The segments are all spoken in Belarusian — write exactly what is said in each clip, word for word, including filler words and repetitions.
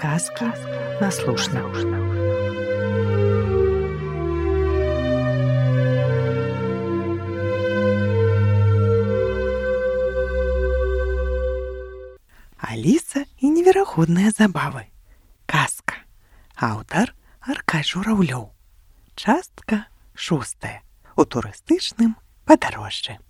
Сказки на слушна. Аліса і неверагодныя забавы. Казка. Аўтар Аркадзь Жураўлёў. Частка шостая. У турыстычным падарожжы.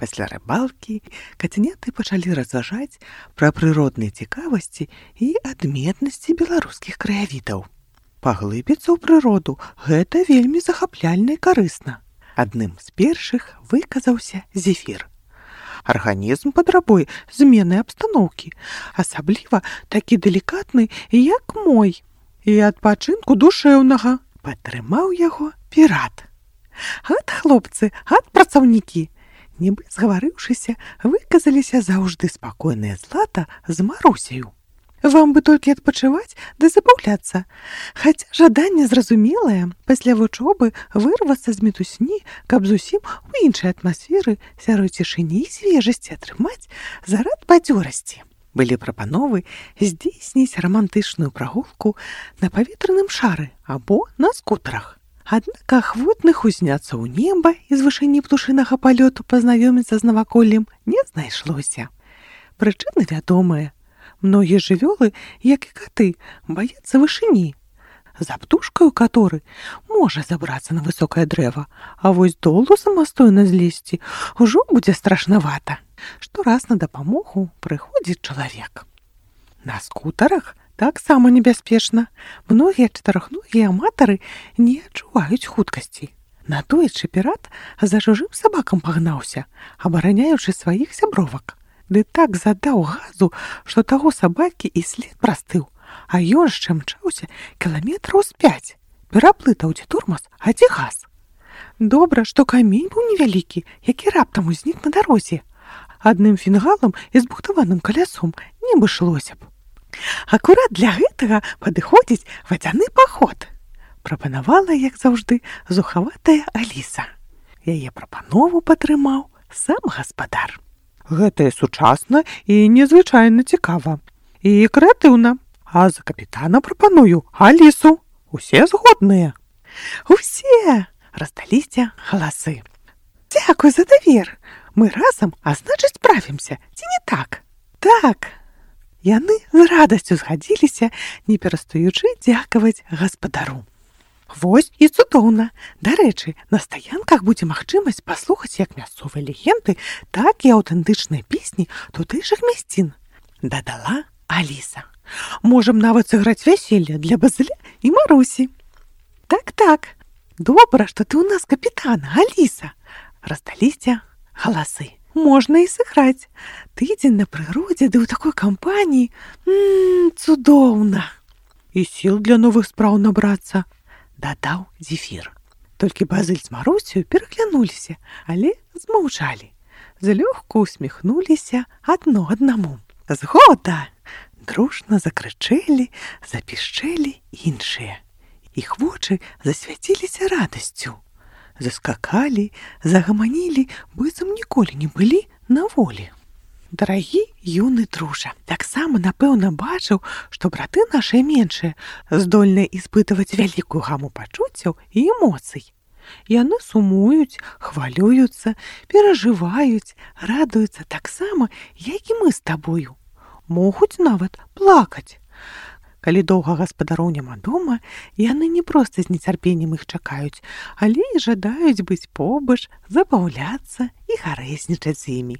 Пасля рыбалкі кацяняты пачалі разважаць пра прыродныя цікавасці і адметнасці беларускіх краявідаў. Паглыбіцца ў прыроду гэта вельмі захапляльна і карысна. Адным з першых выказаўся Зефір. Арганізм патрабуе змены абстаноўкі, асабліва такі далікатны, як мой, і адпачынку душэўнага. Падтрымаў яго пірат. Ат, хлопцы, ат, працаўнікі! Нібы згаварыўшыся, выказаліся заўжды спакойныя Злата з Марусею. Вам бы толькі адпачываць ды забаўляцца. Хаця жаданне зразумелае, пасля вучобы вырвацца з мітусні, каб зусім у іншай атмасферы сярод цішыні і свежасці атрымаць зарад бадзёрасці. Былі прапановы здзейсніць рамантычную прагулку на паветраным шары або на скутарах. Аднак ахвотных узняцца ў неба і з вышыні птушынага палёту пазнаёміцца з наваколлем не знайшлося. Прычыны вядомыя. Многія жывёлы, як і каты, баяцца вышыні. За птушкаю каторы можа забрацца на высокае дрэва, а вось долу самастойна злезці ўжо будзе страшнавата. Штораз на дапамогу прыходзіць чалавек. На скутарах таксама небяспечна. Многія чатырохногія аматары не адчуваюць хуткасці. Натоечы пірат за чужым сабакам пагнаўся, абараняючы сваіх сябровак. Ды так задаў газу, што таго сабакі і след прастыў, а ён яшчэ мчаўся кіламетраў з пяць. Пераплытаў дзе турмас, а дзе газ. Добра, што камень быў невялікі, які раптам узнік на дарозе. Адным фінгалам і збухтаваным калясом не абышлося б. Акурат для гэтага падыходзіць вадзяны паход, прапанавала, як заўжды, зухаватая Аліса. Яе прапанову падтрымаў сам гаспадар. Гэта сучасна і незвычайна цікава. І крэатыўна. А за капітана прапаную Алісу. Усе згодныя. Усе! Раздаліся галасы. Дзякуй за давер. Мы разам, а значыць, справімся. Ці не так? Так. Яны з радасцю згадзіліся, не перастаючы дзякаваць гаспадару. Вось і цудоўна. Дарэчы, на стаянках будзе магчымасць паслухаць як мясцовыя легенды, так і аўтэнтычныя песні тутэйшых мясцін. Дадала Аліса. Можам нават сыграць вяселле для Базыля і Марусі. Так-так. Добра, што ты ў нас капітан, Аліса. Раздаліся галасы. Можна і сыграць. Тыдзень на прыродзе, ды ў такой кампаніі. Ммм, цудоўна. І сіл для новых спраў набрацца, дадаў Зефір. Толькі Базыль з Марусею пераглянуліся, але змаўчалі. Злёгку усміхнуліся адно аднаму. Згода! Дружна закрычэлі, запішчэлі іншыя. Іх вочы засвяціліся радасцю. Заскакалі, загаманілі, быццам ніколі не былі на волі. Дарагі юны дружа, таксама, напэўна, бачыў, што браты нашыя меншыя здольныя іспытваць вялікую гаму пачуццяў і эмоцый. Яны сумуюць, хвалююцца, перажываюць, радуюцца таксама, як і мы з табою. Могуць нават плакаць. Калі доўга гаспадароў няма дома, яны не проста з нецярпеннем іх чакаюць, але і жадаюць быць побач, забаўляцца і гарэзнічаць з імі.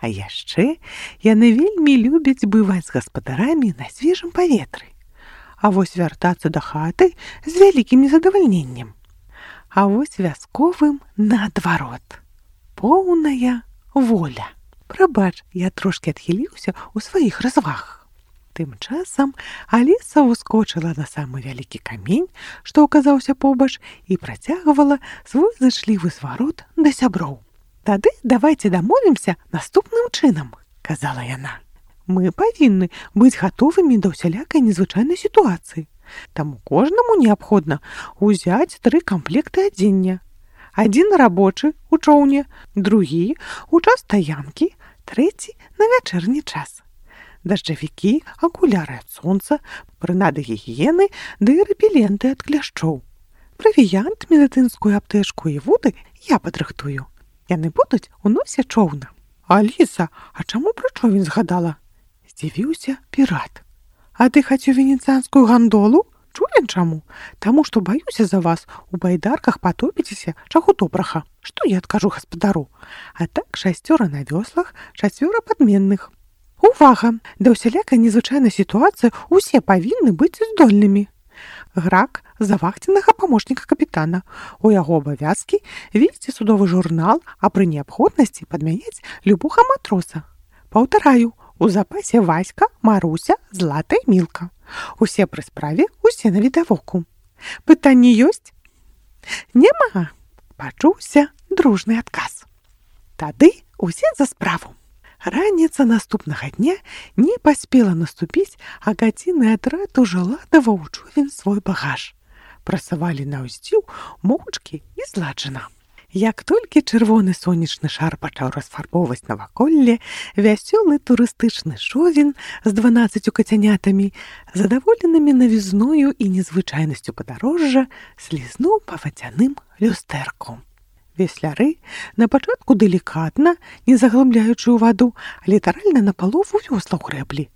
А яшчэ яны вельмі любяць бываць з гаспадарамі на свежым паветры. А вось вяртацца да хаты з вялікім незадавальненнем. А вось вясковым наадварот. Поўная воля. Прабач, я трошкі адхіліўся ў сваіх развагах. Тым часам Аліса ўскочыла на самы вялікі камень, што аказаўся побач, і працягвала свой зычлівы зварот да сяброў. Тады давайце дамовімся наступным чынам, казала яна. Мы павінны быць гатовымі да ўсялякай незвычайнай сітуацыі. Таму кожнаму неабходна ўзяць тры камплекты адзення. Адзін рабочы ў чоўне, другі ў час стаянкі, трэці на вячэрні час. дажджавікі, акуляры ад сонца, прынады гігіены ды рэпеленты ад кляшчоў. Правіянт, медыцынскую аптэчку і вуды я падрыхтую. Яны будуць у носе чоўна. Аліса, а чаму пра човен згадала? Здзівіўся пірат. А ты хацеў венецыянскую гандолу? Чулі чаму? Таму што баюся за вас, у байдарках патопіцеся, чаго добрага. Што я адкажу гаспадару? А так шасцёра на вёслах, чацвёра падменных. Увага! Да ўсялякай незвычайнай сітуацыі усе павінны быць здольнымі. Грак завахценага памочніка капітана. У яго абавязкі весці судовы журнал, а пры неабходнасці падмяняць любога матроса. Паўтараю, у запасе Васька, Маруся, Злата і Мілка. Усе пры справе, усе навідавоку. Пытанні ёсць? Няма. Пачуўся дружны адказ. Тады усе за справу. Раніца наступнага дня не паспела наступіць, а гадзінны атрад ужо ладаваў у човен свой багаж. Прасавалі на ўздзіў моўчкі і зладжана. Як толькі чырвоны сонечны шар пачаў расфарбоўваць наваколле, вясёлы турыстычны човен з дванаццаццю кацянятамі, задаволенымі навізною і незвычайнасцю падарожжа, слізнуў па вадзяным люстэрку. Весляры на пачатку делікатна, не заглыбляючы ў ваду, а літаральна на палову вёслаў грэблі,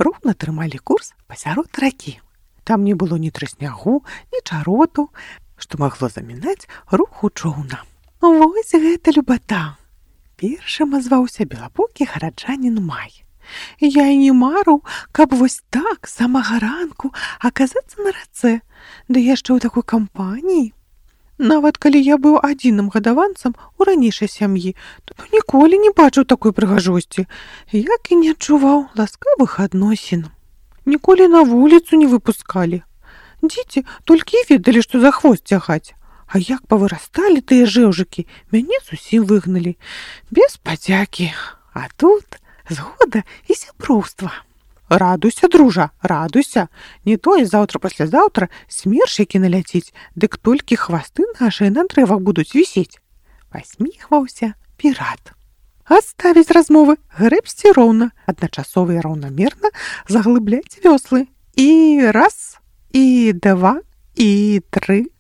роўна трымалі курс пасярод ракі. Там не было ні трыснягу, ні чароту, што магло замінаць руху чоўна. Вось гэта любата! Першым азваўся белабокі гараджанін Май. Я і не марыў, каб вось так, з самага ранку, аказацца на рацэ, ды яшчэ ў такой кампаніі. Нават калі я быў адзіным гадаванцам у ранейшай сям'і, то ніколі не бачыў такой прыгажосці, як і не адчуваў ласкавых адносін. Ніколі на вуліцу не выпускалі. Дзеці толькі і ведалі, што за хвост цягаць. А як павырасталі тыя жэўжыкі, мяне зусім выгналі. Без падзякі. А тут згода і сяброўства. Радуйся, дружа, радуйся. Не то і заўтра-паслязаўтра смерчыкі наляціць, дык толькі хвасты нашыя на дрэвах будуць вісець. Пасміхваўся пірат. Аставіць размовы, грэбсці роўна, адначасова і раўнамерна заглыбляць вёслы. І раз, і два, і тры.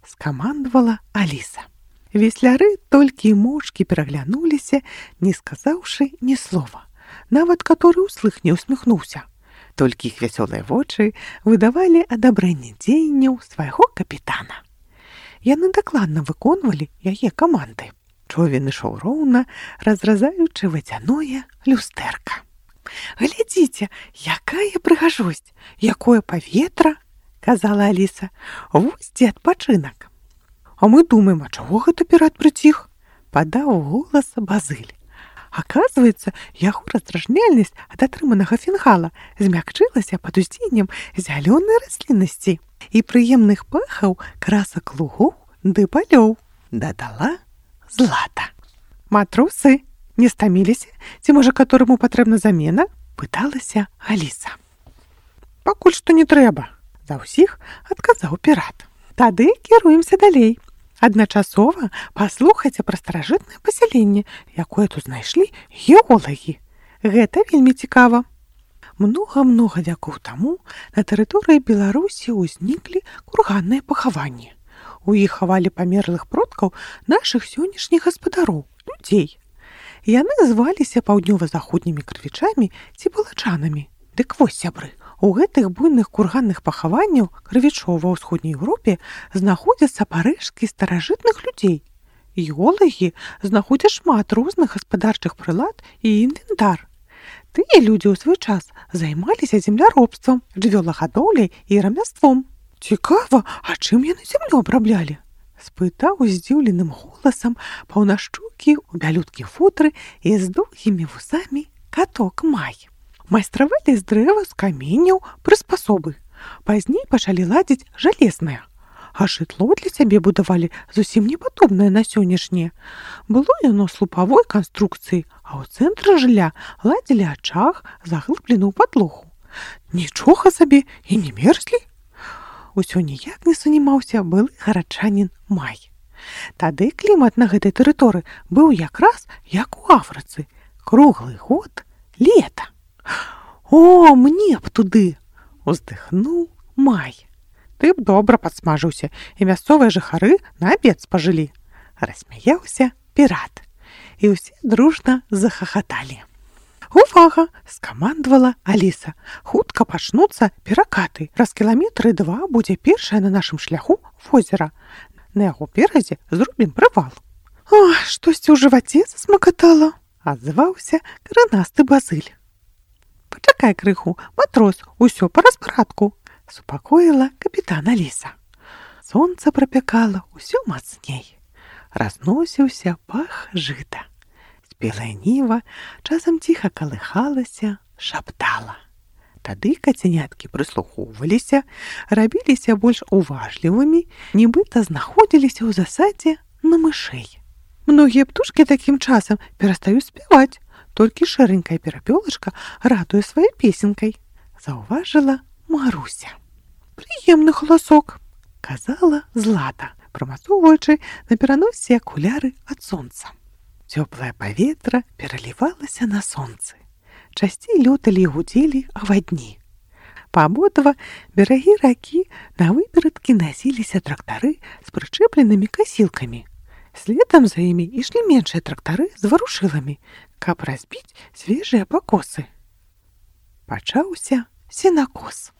Скамандавала Аліса. Весляры толькі моўчкі пераглянуліся, не сказаўшы ні слова. Нават каторы ўслых не усміхнуўся. Толькі іх вясёлыя вочы выдавалі адабрэнне дзеянняў свайго капітана. Яны дакладна выконвалі яе каманды. Човен ішоў роўна, разразаючы вадзяное люстэрка. Глядзіце, якая прыгажосць, якое паветра, казала Аліса. Вось дзе адпачынак. А мы думаем, а чаго гэта пірат прыціх? Падаў голас Базыль. Аказваецца, яго раздражняльнасць ад атрыманага фінгала змякчылася пад уздзеяннем зялёнай расліннасці і прыемных пахаў красак лугоў ды палёў, дадала Злата. Матросы не стаміліся, ці можа катораму патрэбна замена? Пыталася Аліса. Пакуль што не трэба. За ўсіх адказаў пірат. Тады кіруемся далей. Адначасова паслухайце пра старажытнае пасяленне, якое тут знайшлі геолагі. Гэта вельмі цікава. Многа-многа вякоў таму на тэрыторыі Беларусі ўзніклі курганныя пахаванні. У іх хавалі памерлых продкаў нашых сённяшніх гаспадароў, людзей. Яны зваліся паўднёва-заходнімі крывічамі ці палачанамі. Дык вось, сябры, у гэтых буйных курганных пахаванняў крывічоў ва ўсходняй Еўропе знаходзяцца парэшткі старажытных людзей. Геолагі знаходзяць шмат розных гаспадарчых прылад і інвентар. Тыя людзі ў свой час займаліся земляробствам, жывёлагадоўляй і рамяством. Цікава, а чым яны зямлю абраблялі? Спытаў здзіўленым голасам паўнашчокі ў бялюткім футры і з доўгімі вусамі каток Май. Майстравалі з дрэва, з каменняў, прыспасобы. Пазней пачалі ладзіць жалезнае. А жытло для сябе будавалі зусім не падобнае на сённяшняе. Было яно слупавой канструкцыі, а ў цэнтры жылля ладзілі ачаг, заглыблены ў падлогу. Нічога сабе і не мерзлі. Усё ніяк не сунімаўся былы гараджанін Май. Тады клімат на гэтай тэрыторыі быў якраз як у Афрыцы. Круглы год лета. О, мне б туды! Уздыхнуў Май. Ты б добра падсмажыўся, і мясцовыя жыхары на абед спажылі. Рассмяяўся пірат. І ўсе дружна захахаталі. Увага! Скамандавала Аліса. Хутка пачнуцца перакаты. Праз кіламетры два будзе першае на нашым шляху возера. На яго беразе зробім прывал. О, штосьці ў жываце засмакатала, адзваўся кранасты Базыль. Пачакай крыху, матрос, усё па распарадку, супакоіла капітан Аліса. Сонца прапякала ўсё мацней. Разносіўся пах жыта. Спелая ніва часам ціха калыхалася, шаптала. Тады кацяняткі прыслухоўваліся, рабіліся больш уважлівымі, нібыта знаходзіліся ў засадзе на мышэй. Многія птушкі такім часам перастаюць спяваць, толькі шэранькая перапёлачка радуе сваёй песенкай, заўважыла Маруся. Прыемны галасок, казала Злата, прамацоўваючы на пераносе акуляры ад сонца. Цёплае паветра пералівалася на сонцы. Часцей лёталі і гудзелі авадні. Па абодва берагі ракі на выперадкі насіліся трактары з прычэпленымі касілкамі. Следам за імі ішлі меншыя трактары з варушыламі, каб разбіць свежыя пакосы. Пачаўся сенакос.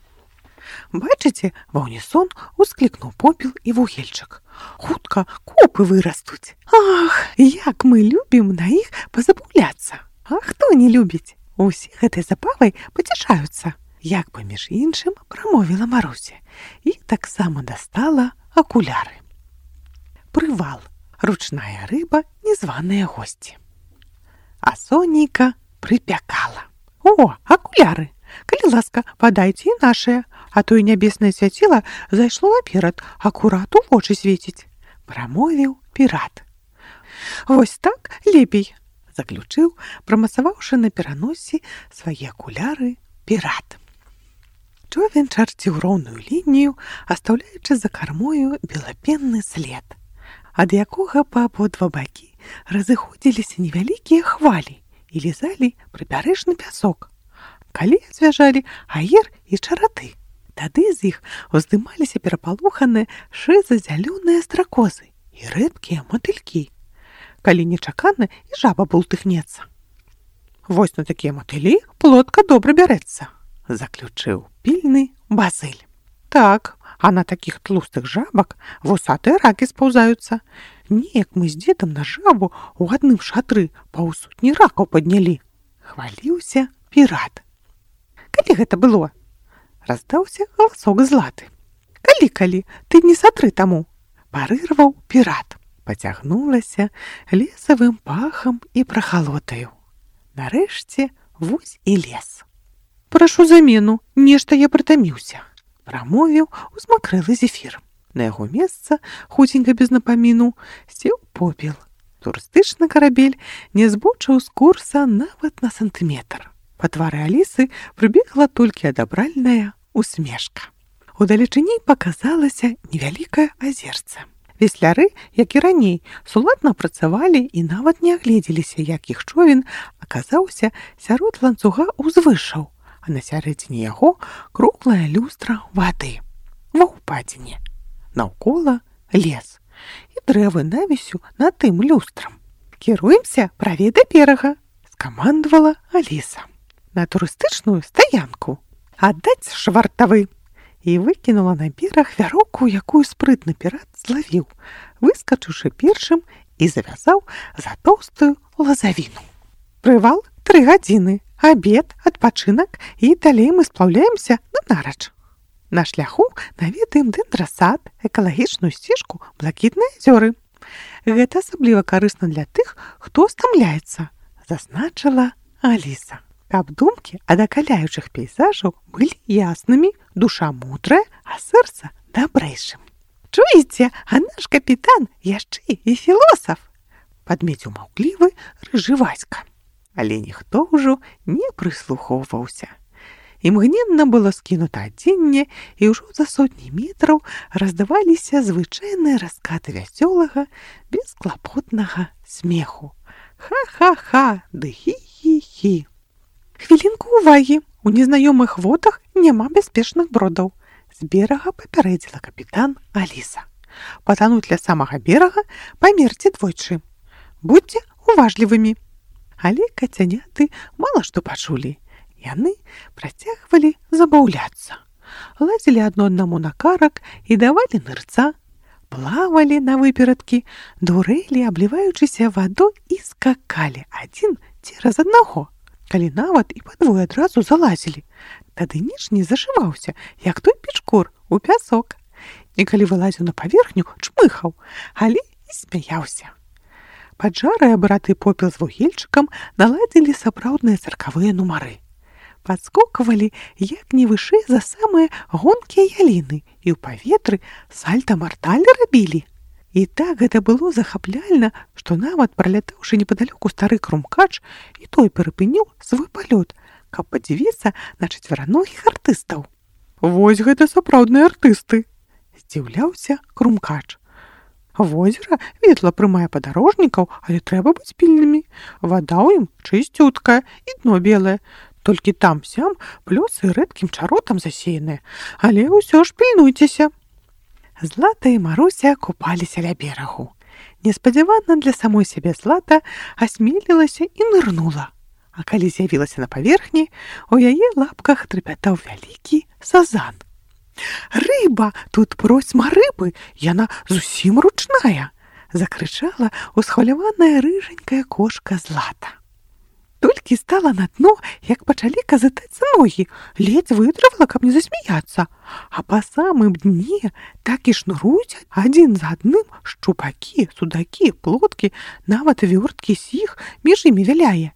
Бачыце, ва ўнісон усклікнуў попел і вугельчык. Хутка копы вырастуць. Ах, як мы любім на іх пазабаўляцца. А хто не любіць? Усе гэтай забавай пацяшаюцца. Як бы між іншым прамовіла Маруся і таксама дастала акуляры. Прывал. Ручная рыба, незваныя госці. А сонейка прыпякала. О, акуляры! Калі ласка, падайце і нашыя, а то і нябеснае свяціла зайшло наперад, акурат у вочы свеціць, прамовіў пірат. Вось так лепей, заключыў, прамасаваўшы на пераносе свае акуляры пірат. Човен чарціў роўную лінію, астаўляючы за кармою белапенны след, ад якога па абодва бакі разыходзіліся невялікія хвалі і лізалі прыбярэжны пясок. Калі звяжалі аер і чараты, тады з іх уздымаліся перапалоханыя шыза-зялёныя стракозы і рэдкія матылькі. Калі нечакана, і жаба бултыхнецца. Вось на такія матылі плотка добра бярэцца, заключыў пільны Базыль. Так, а на такіх тлустых жабак вусатыя ракі спаўзаюцца. Неяк мы з дзедам на жабу ў адным шатры паўсотні ракаў паднялі. Хваліўся пірат. Калі гэта было? Раздаўся галасок Златы. Калі-калі, ты не сатры таму, парырваў пірат. Пацягнулася лесавым пахам і прахалотаю. Нарэшце вось і лес. Прашу замену, нешта я прытаміўся, прамовіў узмакрэлы зефір. На яго месца, хуценька без напаміну, сеў попел. Турыстычны карабель не збочыў з курса нават на сантыметр. Па твары Алісы прыбегла толькі адабральная усмешка. Удалечыні паказалася невялікае азерце. Весляры, як і раней, суладна працавалі і нават не агледзеліся, як іх човен аказаўся сярод ланцуга ўзвышаў, а на сярэдзіне яго круглая люстра вады. Ва ўпадзіне. Наўкола лес і дрэвы навісю над тым люстрам. Кіруемся правей да берага, скамандавала Аліса. На турыстычную стаянку. Аддаць швартавы. І выкінула на бераг вяроўку, якую спрытны пірат злавіў, выскачыўшы першым і завязаў за тоўстую лазавіну. Прывал тры гадзіны, абед, адпачынак і далей мы сплаўляемся на нарач. На шляху наведаем дэндрасад, экалагічную сцежку, блакітныя азёры. Гэта асабліва карысна для тых, хто стамляецца, зазначыла Аліса. Каб думкі ад акаляючых пейзажаў былі яснымі, душа мудрая, а сэрца дабрэйшым. Чуеце, а наш капітан яшчэ і філосаф, падмеціў маўклівы рыжы Васька. Але ніхто ўжо не прыслухоўваўся. Імгненна было скінута адзенне, і ўжо за сотні метраў раздаваліся звычайныя раскаты вясёлага, бесклапотнага смеху. Ха-ха-ха, ды хі-хі-хі. Хвілінку ўвагі, У незнаёмых водах няма бяспечных бродаў, з берага папярэдзіла капітан Аліса. Патануць ля самага берага, памерці двойчы. Будьце уважлівымі. Але кацяняты мала што пачулі. Яны працягвалі забаўляцца. Лазілі адно аднаму на карак і давалі нырца, плавалі на выперадкі, дурэлі, абліваючыся вадой і скакалі адзін цераз аднаго. Калі нават і падвое адразу залазілі, тады ніж не зашываўся, як той печкур у пясок. І калі вылазіў на паверхню, чмыхаў, але і смяяўся. Паджарыя браты Попел з вугельчыкам наладзілі сапраўдныя цыркавыя нумары. Падскоквалі як не вышэй за самыя гонкія яліны і ў паветры сальта-марталь рабілі. І так гэта было захапляльна, што нават пралятаўшы непадалёку стары крумкач, і той перапыніў свой палёт, каб падзівіцца на чацвераногіх артыстаў. «Вось гэта сапраўдныя артысты!» – здзіўляўся крумкач. «Возера ветла прымае падарожнікаў, але трэба быць пільнымі. Вада ў ім чысцюткая і дно белае. Толькі там-сям плёсы рэдкім чаротам засеяныя, але ўсё ж пільнуйцеся». Злата і Маруся купаліся ля берагу. Неспадзявана для самой сябе Злата асмелілася і нырнула. А калі з'явілася на паверхні, у яе лапках трапятаў вялікі сазан. «Рыба! Тут просьма рыбы! Яна зусім ручная!» – закрычала усхваляваная рыжанькая кошка Злата. Толькі стала на дно, як пачалі казытацца ногі, ледзь вытрывала, каб не засмяяцца. А па самым дне так і шнуруюць адзін за адным шчупакі, судакі, плоткі, нават вёрткі сіх між імі вяляе.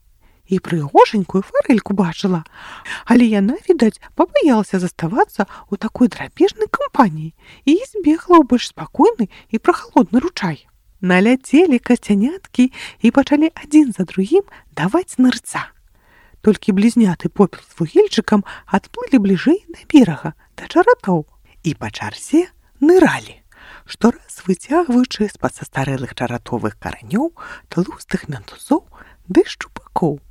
І прыгожанькую фарэльку бачыла, але яна, відаць, пабаялася заставацца ў такой драпежнай кампаніі і збегла ў больш спакойны і прахалодны ручай. Наляцелі кацяняткі і пачалі адзін за другім даваць нырца. Толькі блізняты Попел з вугельчыкам адплылі бліжэй да берага, да чаратоў, і па чарзе ныралі, штораз выцягваючы з-пад састарэлых чаратовых каранёў тлустых мянтузоў ды шчупакоў.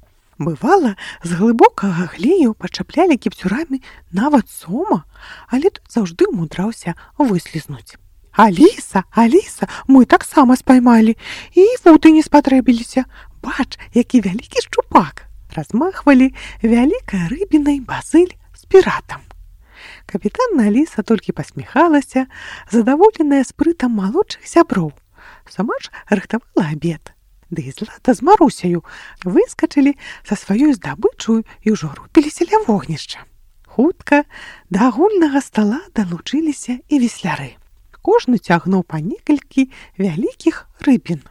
Бывала, з глыбокага глею пачаплялі кіпцюрамі нават сома, але тут заўжды ўмудраўся выслізнуць. «Аліса, Аліса, мы таксама спаймалі, і вуды не спатрэбіліся. Бач, які вялікі шчупак!» Размахвалі вялікай рыбінай Базыль з піратам. Капітан Аліса толькі пасміхалася, задаволеная спрытам малодшых сяброў. Сама ж рыхтавала абед. Ды і Злата з Марусяю выскачылі са сваёй здабычаю і ўжо рупіліся ля вогнішча. Хутка да агульнага стала далучыліся і весляры. Кожны цягнуў па некалькі вялікіх рыбін.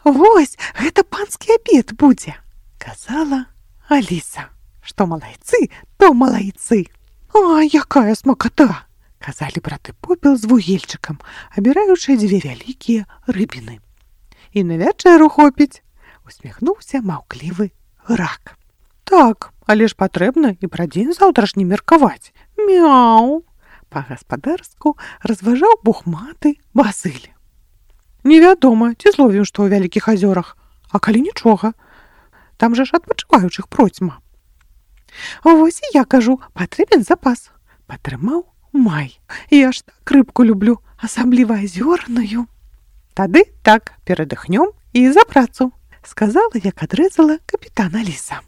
«Вось, гэта панскі абед будзе!» – казала Аліса. «Што малайцы, то малайцы!» «А, якая смакота!» – казалі браты Попел з вугельчыкам, абіраючы дзве вялікія рыбіны. «І на вячэру хопіць!» – усміхнуўся маўклівы рак. «Так, але ж патрэбна і пра дзень заўтрашні меркаваць. Мяу!» Па-гаспадарску разважаў бухматы Базыль. «Невядома, ці зловім што ў вялікіх азёрах, а калі нічога, там жа ж адпачываючых процьма». «Вось і я кажу, патрэбен запас», – падтрымаў Май. «Я ж так рыбку люблю, асабліва азёрную». «Тады так, перадыхнём і за працу», – сказала, як адрэзала капітан Аліса.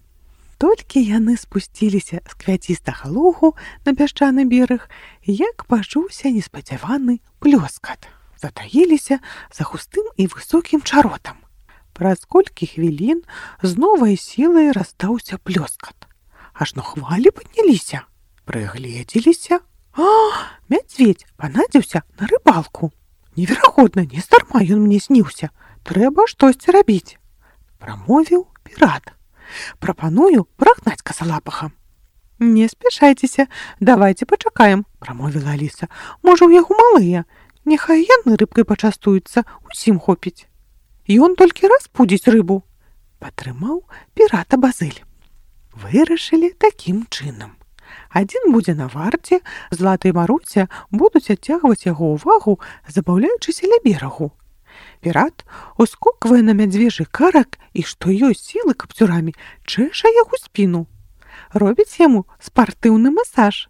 Толькі яны спусціліся з квяцістага лугу на пясчаны бераг, як пачуўся неспадзяваны плёскат. Затаіліся за густым і высокім чаротам. Праз колькі хвілін з новай сілай раздаўся плёскат. Ажно хвалі падняліся. Прыгледзеліся. А, мядзведзь панадзіўся на рыбалку. Неверагодна, не здарма ён мне сніўся. Трэба штосьці рабіць. Прамовіў пірат. «Прапаную прагнаць касалапаха». «Не спяшайцеся, давайце пачакаем», – прамовіла Аліса. «Можа, у яго малыя. Няхай яны рыбкай пачастуюцца, усім хопіць. Ён толькі распудзіць рыбу», – падтрымаў пірата Базыль. Вырашылі такім чынам. Адзін будзе на варце, Злата і Маруся будуць адцягваць яго ўвагу, забаўляючыся ля берагу. Пірат ускоквае на мядзвежы карак і, што ёсць сілы капцюрамі, чэша яго спіну. робіць яму спартыўны масаж.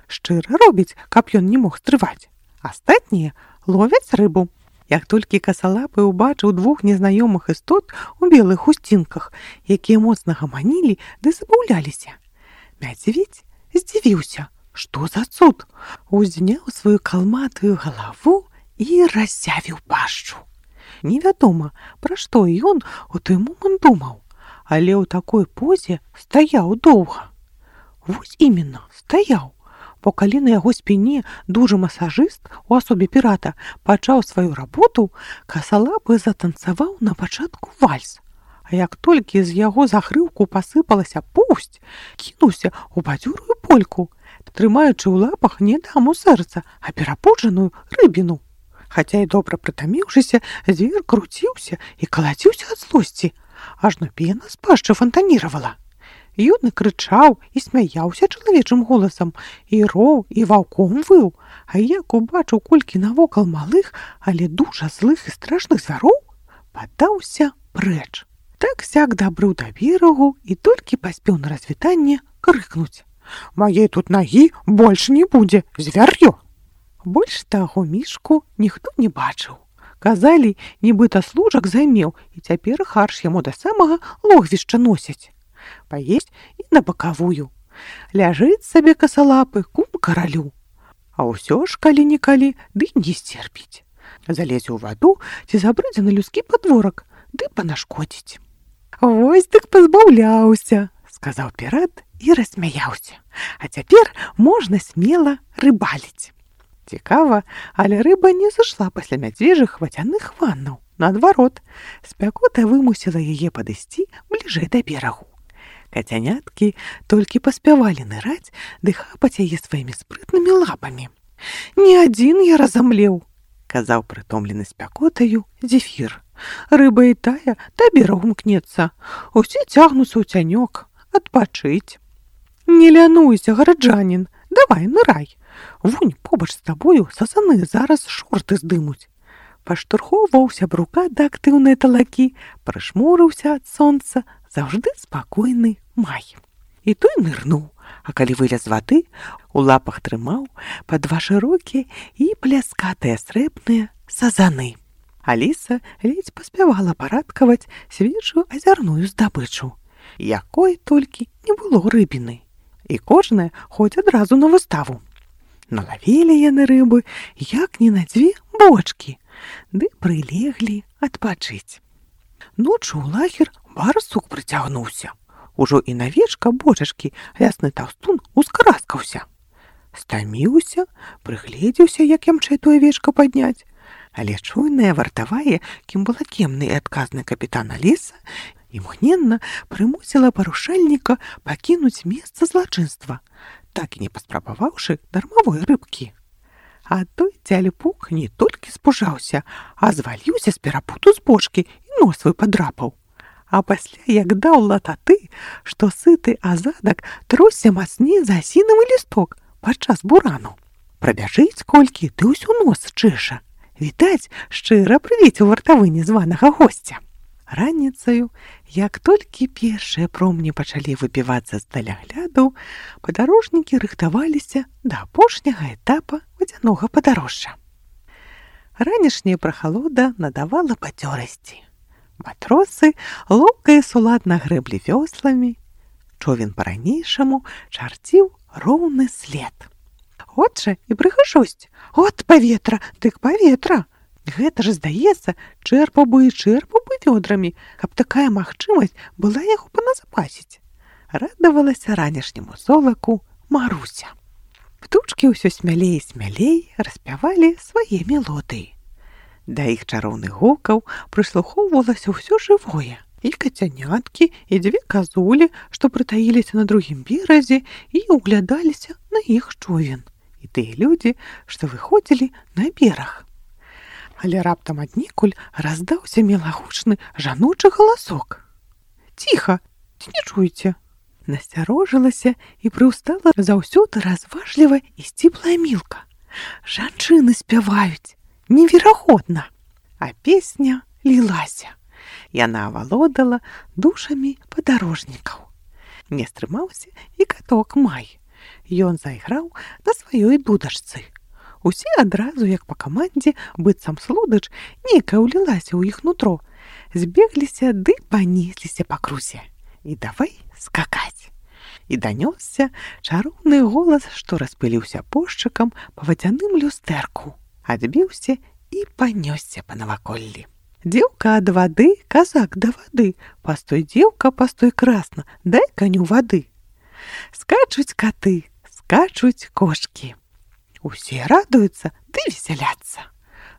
Шчыра робіць, каб ён не мог стрываць. Астатнія ловяць рыбу. Як толькі касалапы ўбачыў двух незнаёмых істот у белых хусцінках, якія моцна гаманілі ды забаўляліся, Мядзведзь здзівіўся, што за цуд, узняў сваю калматую галаву і раззявіў пашчу. Невядома, пра што ён у той момант думаў, але ў такой позе стаяў доўга. Вось іменно, стаяў, бо калі на яго спіне дужы масажыст у асобе пірата пачаў сваю работу, касалапы затанцаваў на пачатку вальс. А як толькі з яго загрыўку пасыпалася поўсць, кінуўся ў бадзёрую польку, трымаючы ў лапах не даму сэрца, а перапуджаную рыбіну. Хаця і добра прытаміўшыся, звер круціўся і калаціўся ад злосці, ажно пена з пашчы фантаніравала. Ён і крычаў, і смяяўся чалавечым голасам, і роў, і ваўком выў, а як убачыў колькі навокал малых, але дужа злых і страшных звяроў, падаўся прэч. Так-сяк дабрыў да берагу і толькі паспеў на развітанне крыкнуць: «Маей тут нагі больш не будзе, звяр'ё!» Больш таго мішку ніхто не бачыў. Казалі, нібыта служак займеў, і цяпер харш яму да самага логвішча носяць. Паесць і на бакавую. Ляжыць сабе касалапы кум каралю. А ўсё ж калі-нікалі ды не сцерпіць. Залезе ў ваду ці забрыдзе на людскі падворак, ды панашкодзіць. «Вось дык пазбаўляўся», — сказаў пірат і рассмяяўся. «А цяпер можна смела рыбаліць». Цікава, але рыба не зашла пасля мядзвежых вадзяных ваннаў. Наадварот, спякота вымусіла яе падысці бліжэй да берагу. Кацяняткі толькі паспявалі ныраць ды хапаць яе сваімі спрытнымі лапамі. «Не адзін я разамлеў», — казаў прытомлены спякотаю Зефір. «Рыба і тая да берагу мкнецца. Усе цягнуцца ў цянёк, адпачыць». «Не лянуйся, гараджанін, давай нырай. Вунь побач з табою сазаны зараз шорты здымуць». Паштурхоўваў сябрука да актыўнай талакі, прышмурыўся ад сонца, заўжды спакойны май. І той нырнуў, а калі вылез з вады, у лапах трымаў па два шырокія і пляскатыя срэбныя сазаны. Аліса ледзь паспявала парадкаваць свежую азярную здабычу, якой толькі не было рыбіны. І кожная хоць адразу на выставу. Налавілі яны рыбы, як не на дзве бочкі, ды прылеглі адпачыць. Ноччу ў лагер барсук прыцягнуўся. Ужо і на вечка бочачкі лясны таўстун ускараскаўся. Стаміўся, прыгледзеўся, як ямчэй тое вечка падняць. Але чуйная вартавая, кім была кемны і адказны капітан Аліса, імгненна прымусіла парушальніка пакінуць месца злачынства, так і не паспрабаваўшы дармавой рыбкі. А той цяліпук не толькі спужаўся, а зваліўся з перапуту з бочкі і нос свой падрапаў. А пасля як даў лататы, што сыты азадак тросся мацней за асінавы лісток падчас бурану. Прабяжыць колькі, ды ўсё нос чэша. Відаць, шчыра прывіцеў вартавы незванага госця. Раніцаю, як толькі першыя промні пачалі выпівацца з далягляду, падарожнікі рыхтаваліся да апошняга этапа вадзянога падарожжа. Ранішняя прахалода надавала бадзёрасці. Матросы лоўка і суладна грэблі вёсламі. Човен па-ранейшаму чарціў роўны след. От жа і прыгажосць. От паветра, дык паветра. Гэта ж, здаецца, чэрпаў бы і чэрпаў бы вёдрамі, каб такая магчымасць была яго паназапасіць. Радавалася ранішняму золаку Маруся. Птушкі ўсё смялей і смялей распявалі свае мелодыі. Да іх чароўных гукаў прыслухоўвалася ўсё жывое. І кацяняткі, і дзве казулі, што прытаіліся на другім беразе і ўглядаліся на іх човен. І тыя людзі, што выходзілі на бераг. Але раптам аднекуль раздаўся мілагучны жаночы галасок. «Ціха, ці не чуеце?» Насцярожылася і прыўстала заўсёды разважліва і сціплая Мілка. «Жанчыны спяваюць! Неверагодна!» А песня лілася. Яна авалодала душамі падарожнікаў. Не стрымаўся і каток Май. Ён зайграў на сваёй дудачцы. Усе адразу, як па камандзе, быццам слудач, нейкая ўлілася ў іх нутро, збегліся ды панесліся па крусе. І давай скакаць. І данёсся чароўны голас, што распыліўся пошчакам па вадзяным люстэрку, адбіўся і панёсся па наваколлі. Дзеўка ад вады, казак да вады, пастой, дзеўка, пастой красна, дай каню вады. Скачуць каты, скачуць кошкі. Усе радуюцца ды весяляцца.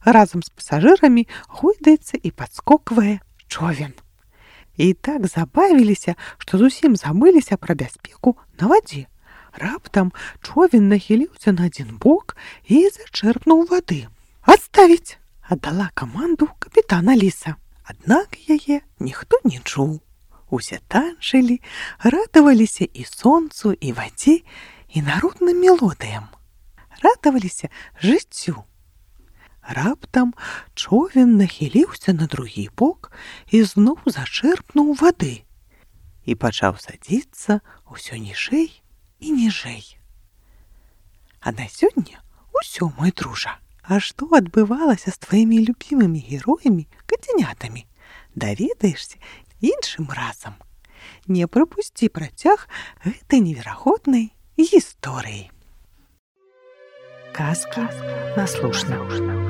Разам з пасажырамі гойдаецца і падскоквае човен. І так забавіліся, што зусім забыліся пра бяспеку на вадзе. Раптам човен нахіліўся на адзін бок і зачэрпнуў вады. «Адставіць!» – аддала каманду капітана Ліса. Аднак яе ніхто не чуў. Усе танчылі, радаваліся і сонцу, і вадзе, і народным мелодыям. Радаваліся жыццю. Раптам човен нахіліўся на другі бок і зноў зачэрпнуў вады і пачаў садзіцца ўсё ніжэй і ніжэй. А на сёння ўсё, мой дружа. А што адбывалася з тваімі любімымі героямі, кацянятамі? Даведаешся іншым разам. Не прапусці працяг гэтай неверагоднай гісторыі. Казки на слушна.